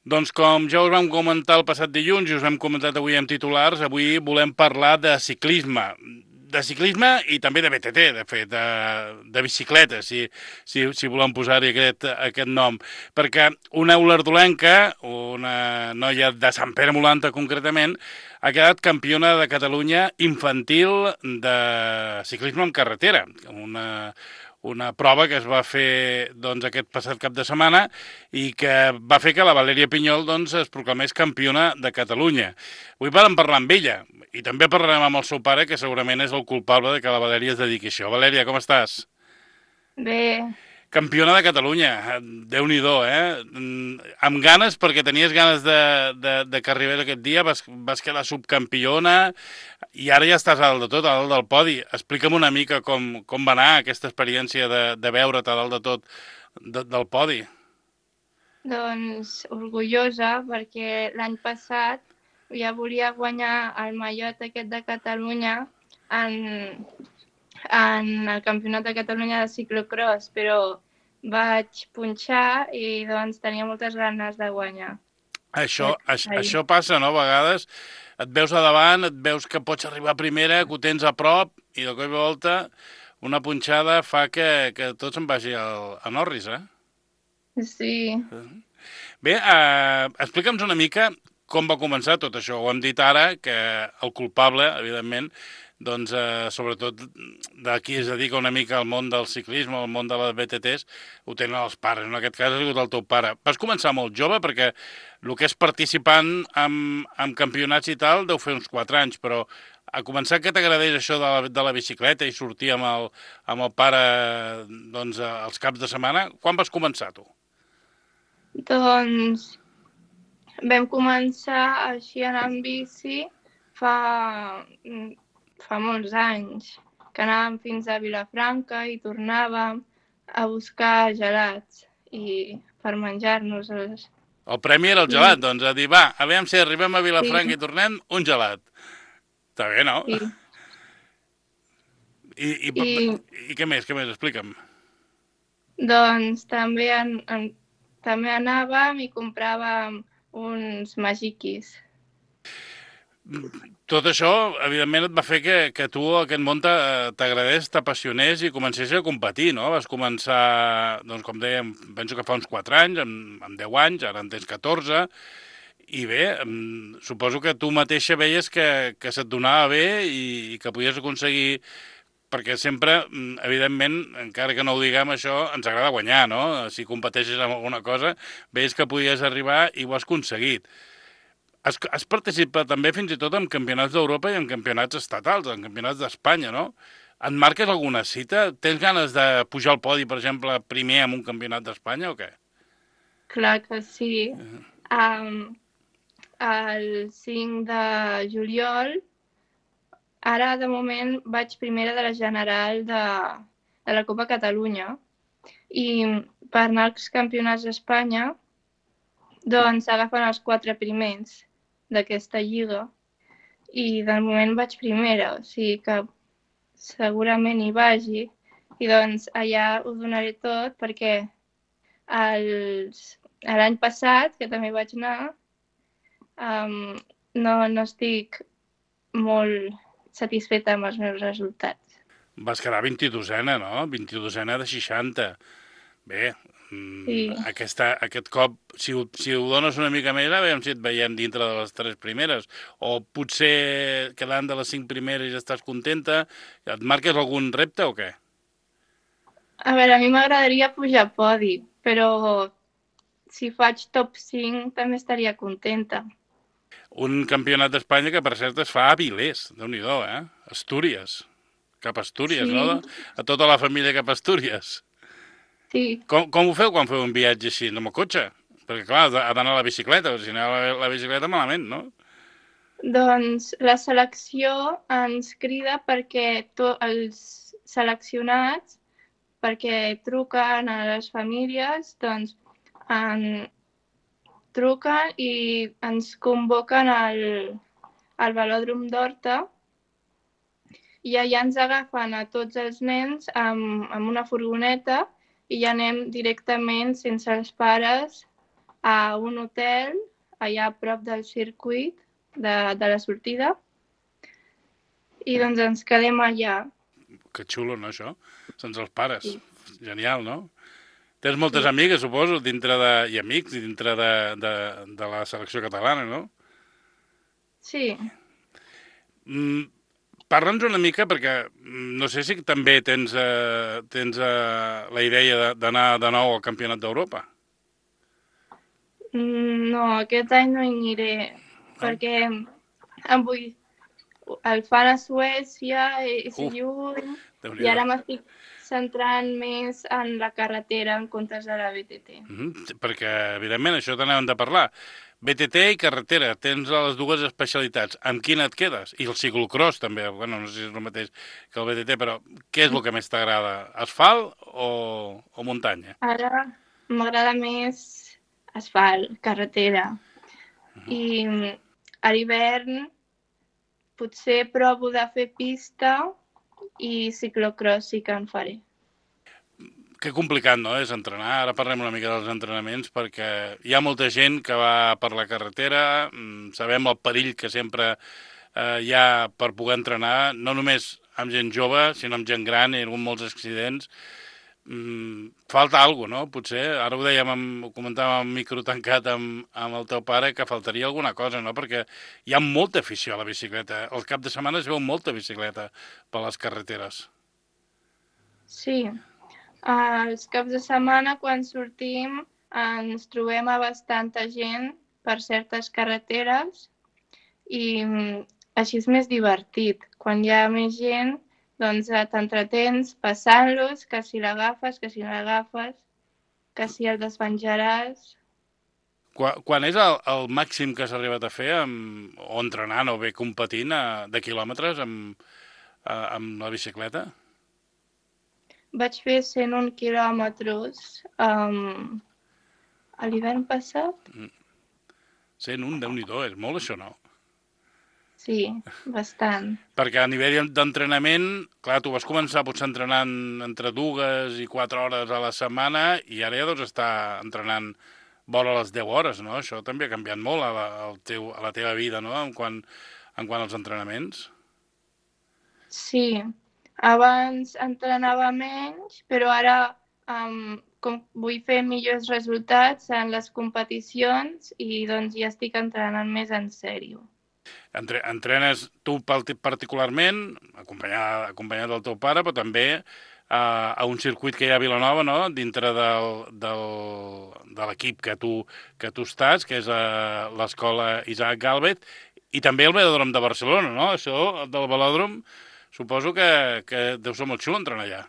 Doncs com ja us vam comentar el passat dilluns i us hem comentat avui amb titulars, avui volem parlar de ciclisme. De ciclisme i també de BTT, de fet, de bicicleta, si volem posar-hi aquest nom. Perquè una olardolenca, una noia de Sant Pere Molanta concretament, ha quedat campiona de Catalunya infantil de ciclisme en carretera. Una prova que es va fer doncs, aquest passat cap de setmana i que va fer que la Valèria Pinyol doncs, es proclamés campiona de Catalunya. Avui vam parlar amb ella i també parlarem amb el seu pare, que segurament és el culpable de que la Valèria es dediqui a això. Valèria, com estàs? Bé, Campiona de Catalunya, Déu-n'hi-do, eh? Amb ganes, perquè tenies ganes de que arribés aquest dia, vas quedar subcampiona i ara ja estàs a dalt de tot, a dalt del podi. Explica'm una mica com va anar aquesta experiència de veure't a dalt de tot del podi. doncs orgullosa perquè l'any passat ja volia guanyar el mallot aquest de Catalunya en, en el Campionat de Catalunya de ciclocross, però vaig punxar i doncs tenia moltes ganes de guanyar. Ahir. Això passa, no? A vegades et veus a davant, et veus que pots arribar a primera, que ho tens a prop, i de cop i volta una punxada fa que tot se'n vagi a Norris, eh? Sí, Bé, explica'ns una mica com va començar tot això. Ho hem dit ara, que el culpable, evidentment, doncs, sobretot de qui es dedica una mica al món del ciclisme, al món de les BTTs, ho tenen els pares. En aquest cas ha sigut el teu pare. Vas començar molt jove, perquè el que és participant en campionats i tal deu fer uns 4 anys, però a començar que t'agradés això de la bicicleta i sortir amb el pare doncs, els caps de setmana, quan vas començar tu? doncs vam començar així a anar amb bici fa, fa molts anys, que anàvem fins a Vilafranca i tornàvem a buscar gelats i per menjar-nos-els. El premi era el I, gelat, doncs, a dir, va, aviam si arribem a sí, Vilafranca i tornem, un gelat. Està bé, no? sí. I, i, I i què més, explica'm. doncs també anàvem i compràvem uns magiquis. Tot això, evidentment, et va fer que tu aquest món t'agradés, t'apassionés i comencés a competir, no? Vas començar, doncs, com dèiem, penso que fa uns 4 anys, amb 10 anys, ara en tens 14, i bé, suposo que tu mateixa veies que se't donava bé i que podies aconseguir, perquè sempre, evidentment, encara que no ho diguem això, ens agrada guanyar, no? Si competeixes en alguna cosa, veies que podies arribar i ho has aconseguit. Has participat també fins i tot en campionats d'Europa i en campionats estatals, en campionats d'Espanya, no? Et marques alguna cita? Tens ganes de pujar al podi, per exemple, primer en un campionat d'Espanya o què? Clar que sí. Um, el 5 de juliol, ara de moment vaig primera de la general de la Copa Catalunya i per anar als campionats d'Espanya doncs agafen els 4 primers d'aquesta lliga i de moment vaig primera, o sigui que segurament hi vagi i doncs allà ho donaré tot perquè l'any passat, que també vaig anar, no estic molt satisfeta amb els meus resultats. Vas quedar 22ena, no? 22ena de 60. Bé, Sí, aquest cop, si ho dones una mica més, a veure si et veiem dintre de les 3 primeres. O potser quedant de les 5 primeres ja estàs contenta. Et marques algun repte o què? a veure, a mi m'agradaria pujar a podi, però si faig top 5 també estaria contenta. Un campionat d'Espanya que, per cert, es fa a Avilés, déu-n'hi-do, eh? Astúries. Cap a Astúries, no? Sí, A tota la família cap a Astúries. sí. Com ho feu quan feu un viatge així, amb el cotxe? Perquè, clar, ha d'anar a la bicicleta, si no la bicicleta malament, no? Doncs la selecció ens crida perquè els seleccionats, perquè truquen a les famílies, doncs en, truquen i ens convoquen al velòdrom d'Horta i allà ens agafen a tots els nens amb una furgoneta i ja anem directament sense els pares a un hotel allà a prop del circuit de la sortida i doncs ens quedem allà. Que xulo, no, això? Sense els pares. Sí, Genial, no? Tens moltes sí. amigues, suposo, i amics dintre de la selecció catalana, no? Sí. Mm, Parla'ns una mica, perquè no sé si també tens la idea d'anar de nou al Campionat d'Europa, No, aquest any no hi aniré no? perquè em vull... el fan a Suècia, és Uf, lluny, i Déu-n'hi-do. ara m'estic centrant més en la carretera en comptes de la BTT. Perquè, evidentment, això t'anàvem de parlar. BTT i carretera, tens les dues especialitats. Amb quina et quedes? I el ciclocross, també. Bueno, no sé si és el mateix que el BTT, però què és el que més t'agrada? Asfalt o muntanya? Ara m'agrada més asfalt, carretera. I a l'hivern potser provo de fer pista i ciclocross sí que en faré. Que complicat, no?, és entrenar. Ara parlem una mica dels entrenaments, perquè hi ha molta gent que va per la carretera, sabem el perill que sempre hi ha per poder entrenar, no només amb gent jove, sinó amb gent gran, i amb molts accidents. Falta alguna cosa, no? Potser, ara ho dèiem, ho comentàvem en micro tancat amb el teu pare, que faltaria alguna cosa, no? Perquè hi ha molta afició a la bicicleta. El cap de setmana es veu molta bicicleta per les carreteres. Sí, els caps de setmana quan sortim ens trobem a bastanta gent per certes carreteres i així és més divertit. Quan hi ha més gent, doncs t'entretens passant-los, que si l'agafes, que si no l'agafes, que si el despenjaràs. Quan és el màxim que s'ha arribat a fer, o entrenant o bé competint, de quilòmetres amb la bicicleta? Vaig fer 101 quilòmetres a l'hivern passat. 101, Déu-n'hi-do, és molt això, no? Sí, bastant. Perquè a nivell d'entrenament, clar, tu vas començar potser entrenant entre 2 i 4 hores a la setmana i ara ja deus estar entrenant vora les 10 hores, no? Això també ha canviat molt a la teva vida, no?, en quant als entrenaments. Sí, abans entrenava menys, però ara com vull fer millors resultats en les competicions i doncs ja estic entrenant més en sèrio. Entrenes tu particularment, acompanyat del teu pare, però també a un circuit que hi ha a Vilanova, no?, dintre de l'equip que tu estàs, que és l'escola Isaac Galvez, i també el velòdrom de Barcelona, no? Això del velòdrom suposo que deu ser molt xulo entrenar allà.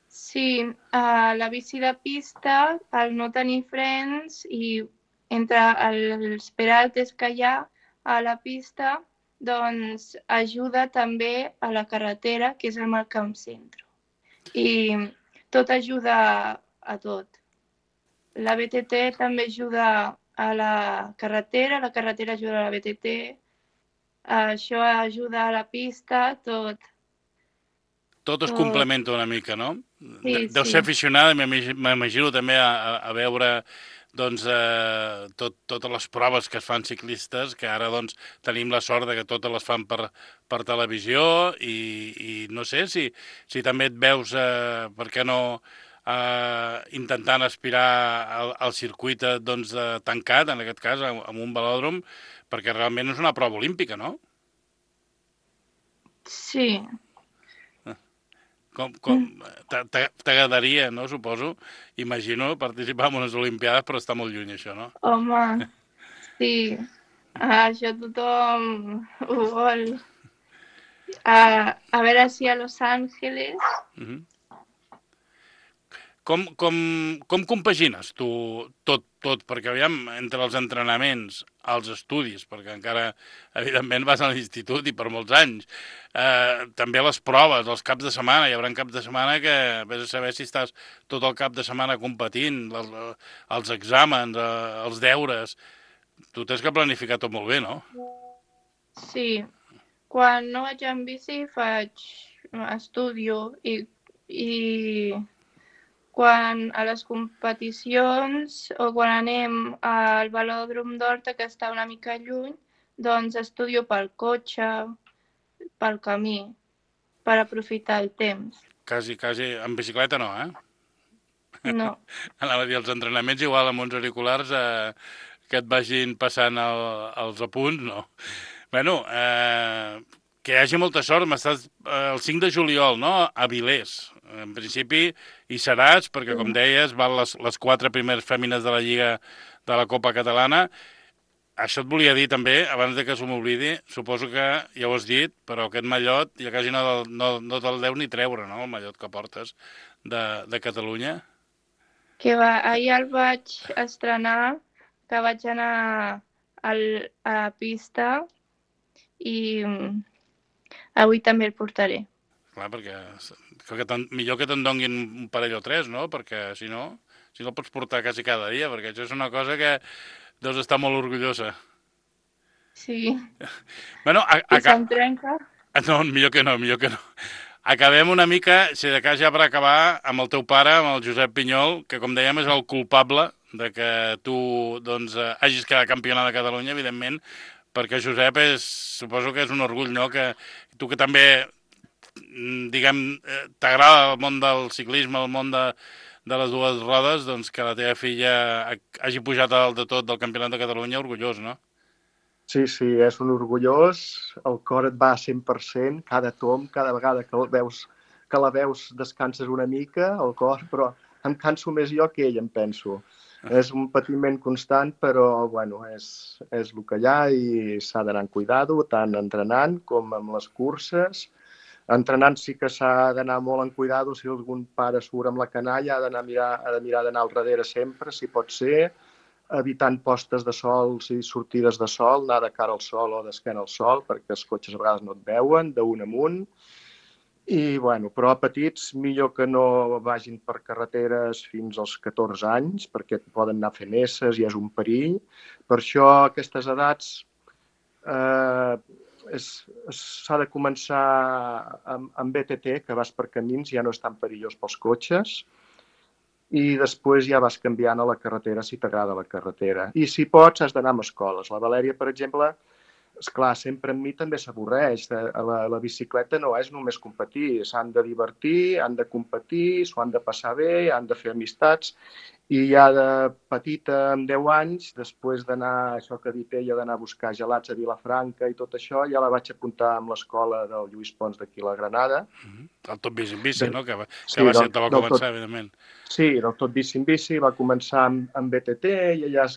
Sí, la bici de pista, al no tenir frens i entre els peraltes que hi ha a la pista, doncs ajuda també a la carretera, que és amb el que em centro. I tot ajuda a tot. La BTT també ajuda a la carretera ajuda a la BTT, això ajuda a la pista, tot. Tot es tot. complementa una mica, no? Sí, Deu ser sí. aficionada, m'imagino també a veure doncs, totes les proves que es fan ciclistes, que ara doncs, tenim la sort de que totes les fan per televisió i no sé si també et veus, per què no, intentant aspirar al circuit doncs, tancat, en aquest cas, amb un velòdrom, perquè realment és una prova olímpica, no? Sí. T'agradaria, no, suposo, imagino, participar en unes Olimpiades, però està molt lluny, això, no? Home, sí. Això tothom ho vol. A veure si a Los Angeles. Uh -huh. Com compagines tu tot? Perquè, aviam, entre els entrenaments, els estudis, perquè encara, evidentment, vas a l'institut i per molts anys, també les proves, els caps de setmana, hi haurà caps de setmana que vés a saber si estàs tot el cap de setmana competint, els exàmens, els deures, tu tens que planificar tot molt bé, no? Sí. Quan no vaig en bici estudio i quan a les competicions o quan anem al velòdrom d'Horta, que està una mica lluny, doncs estudio pel cotxe, pel camí, per aprofitar el temps. Quasi, en bicicleta no, eh? No. Anava a dir, els entrenaments igual amb uns auriculars que et vagin passant els apunts, no. Bueno, que hi hagi molta sort. M'estàs el 5 de juliol, no?, a Vilés. En principi hi seràs, perquè, com deies, van les 4 primeres fèmines de la Lliga de la Copa Catalana. Això et volia dir també, abans de que s'ho m'oblidi, suposo que ja ho has dit, però aquest mallot ja quasi no te'l deu ni treure, no?, el mallot que portes de Catalunya. Que va, ahir el vaig estrenar, que vaig anar a la pista i avui també el portaré. Clar, perquè millor que te'n donguin un parell o 3, no? Perquè si no el pots portar quasi cada dia, perquè això és una cosa que deus estar molt orgullosa. Sí. Bueno, I se'm trenca? No, millor que no. Acabem una mica, si de cas ja per acabar, amb el teu pare, amb el Josep Pinyol, que com dèiem és el culpable de que tu doncs, hagis quedat campiona de Catalunya, evidentment, perquè Josep suposo que és un orgull, no?, que tu que també, diguem, t'agrada el món del ciclisme, el món de les dues rodes, doncs que la teva filla hagi pujat a dalt de tot del Campionat de Catalunya, orgullós, no? Sí, és un orgullós, el cor et va a 100%, cada tomb, cada vegada que la veus descanses una mica, el cor, però em canso més jo que ell, em penso. És un patiment constant, però bueno, és el que hi ha i s'ha d'anar amb cuidado, tant entrenant com amb les curses. Entrenant sí que s'ha d'anar molt en cuidado, si algun pare surt amb la canalla ha de mirar d'anar al darrere sempre, si pot ser, evitant postes de sol i sortides de sol, anar de cara al sol o d'esquena al sol, perquè els cotxes a vegades no et veuen, d'un amunt. I, bueno, però a petits millor que no vagin per carreteres fins als 14 anys, perquè poden anar fent esses i és un perill. Per això, a aquestes edats, s'ha de començar amb BTT, que vas per camins, ja no és tan perillós pels cotxes, i després ja vas canviant a la carretera si t'agrada la carretera. I si pots, has d'anar amb escoles. La Valèria, per exemple, esclar, sempre amb mi també s'avorreix. La bicicleta no és només competir, s'han de divertir, han de competir, s'ho han de passar bé, han de fer amistats. I ja de petita, amb 10 anys, després d'anar, això que ha dit ella, d'anar a buscar gelats a Vilafranca i tot això, ja la vaig apuntar amb l'escola del Lluís Pons d'aquí a la Granada. El Tot Bici en Bici, no? Que va ser el que va començar, evidentment. Sí, el Tot Bici en Bici va començar amb BTT i ja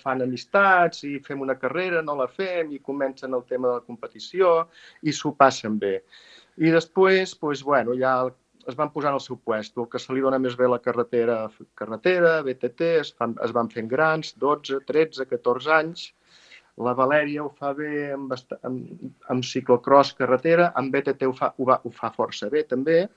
fan amistats i fem una carrera, no la fem, i comencen el tema de la competició i s'ho passen bé. I després, doncs, bueno, ja es van posar en el seu puesto. El que se li dona més bé la carretera, BTT, es van fent grans, 12, 13, 14 anys. La Valèria ho fa bé amb ciclocross carretera, amb BTT ho fa força bé també,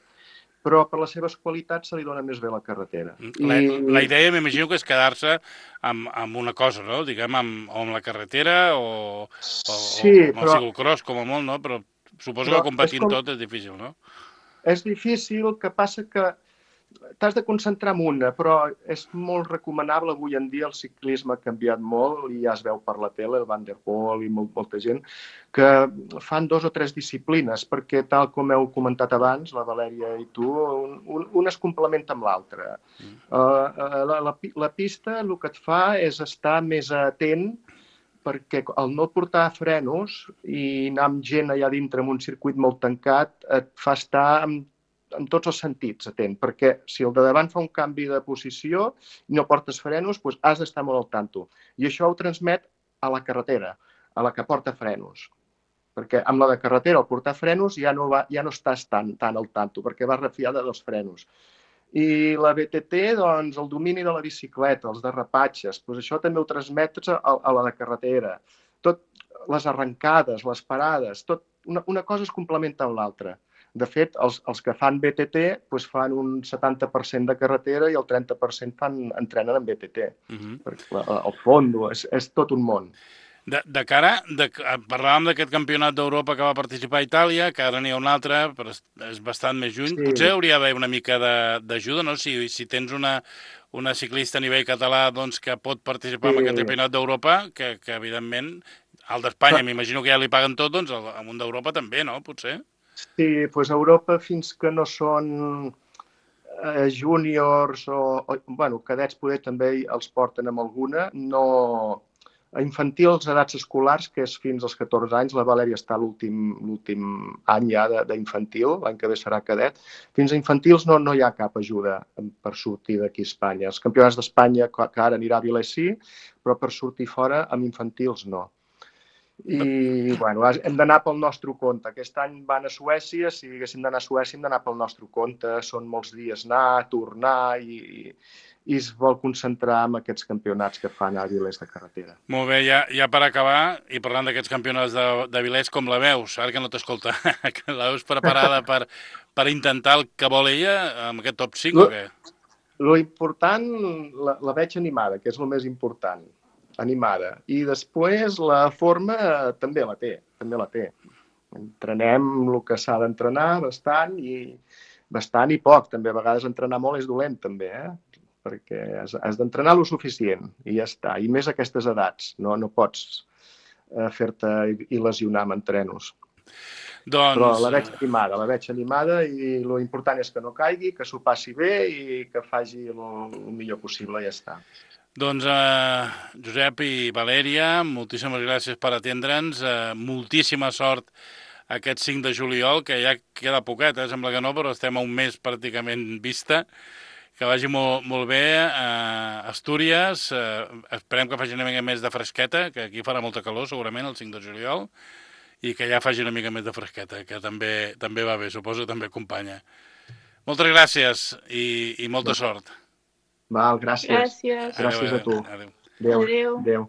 però per les seves qualitats se li dona més bé la carretera. La idea m'imagino que és quedar-se amb una cosa, no? Diguem, amb la carretera o amb el ciclocross com a molt, no? Però suposo que competint tot és difícil, no? És difícil, que passa que t'has de concentrar en una, però és molt recomanable. Avui en dia el ciclisme ha canviat molt i ja es veu per la tele, el Van der Poel i molta gent, que fan 2 o 3 disciplines, perquè tal com heu comentat abans, la Valèria i tu, una es complementa amb l'altra. La pista el que et fa és estar més atent, perquè al no portar frenos i anar amb gent allà dintre en un circuit molt tancat et fa estar en tots els sentits atent, perquè si el de davant fa un canvi de posició i no portes frenos, doncs has d'estar molt al tanto. I això ho transmet a la carretera, a la que porta frenos. Perquè amb la de carretera, al portar frenos, ja no estàs tan al tanto, perquè vas refiada dels frenos. I la BTT, doncs, el domini de la bicicleta, els derrapatges, doncs això també ho transmets a la de carretera. Tot, les arrencades, les parades, tot, una cosa es complementa amb l'altra. De fet, els que fan BTT doncs fan un 70% de carretera i el 30% entrenen en BTT. Perquè el fondo és tot un món. De cara, parlàvem d'aquest campionat d'Europa que va participar a Itàlia, que ara n'hi ha un altre, però és bastant més lluny. Sí, Potser hauria d'haver una mica d'ajuda, no? Si tens una ciclista a nivell català doncs, que pot participar en aquest sí. campionat d'Europa, que evidentment, al d'Espanya m'imagino que ja li paguen tot, doncs al món d'Europa també, no? Potser. Sí, doncs a Europa fins que no són júniors bueno, cadets poder també els porten amb alguna, no... A infantils, edats escolars, que és fins als 14 anys, la Valèria està l'últim any ja d'infantil, l'any que ve serà cadet. Fins a infantils no hi ha cap ajuda per sortir d'aquí a Espanya. Els campionats d'Espanya, que ara anirà a Vilés sí, però per sortir fora amb infantils no. I bueno, hem d'anar pel nostre compte. Aquest any van a Suècia, si haguéssim d'anar a Suècia hem d'anar pel nostre compte, són molts dies anar, tornar i es vol concentrar en aquests campionats que fan a Vilés de carretera. Molt bé, ja per acabar, i parlant d'aquests campionats de Vilés, com la veus? Ara que no t'escolta, que la veus preparada per intentar el que vol ella amb aquest top 5 o què? Lo important, la veig animada, que és el més important. Animada. I després la forma també la té. Entrenem el que s'ha d'entrenar bastant i poc. També a vegades entrenar molt és dolent també, perquè has d'entrenar lo suficient i ja està. I més a aquestes edats. No pots fer-te i lesionar amb entrenos. Doncs... Però la veig animada i lo important és que no caigui, que s'ho passi bé i que faci el millor possible i ja està. Doncs, Josep i Valèria, moltíssimes gràcies per atendre'ns, moltíssima sort aquest 5 de juliol, que ja queda poquet, sembla que no, però estem a un mes pràcticament vista, que vagi molt bé a Astúries, esperem que faci una mica més de fresqueta, que aquí farà molta calor segurament el 5 de juliol, i que ja faci una mica més de fresqueta, que també va bé, suposo que també acompanya. Moltes gràcies i molta sort. Val, gràcies. Gràcies. Gràcies a tu. Adéu. Adéu. Adéu.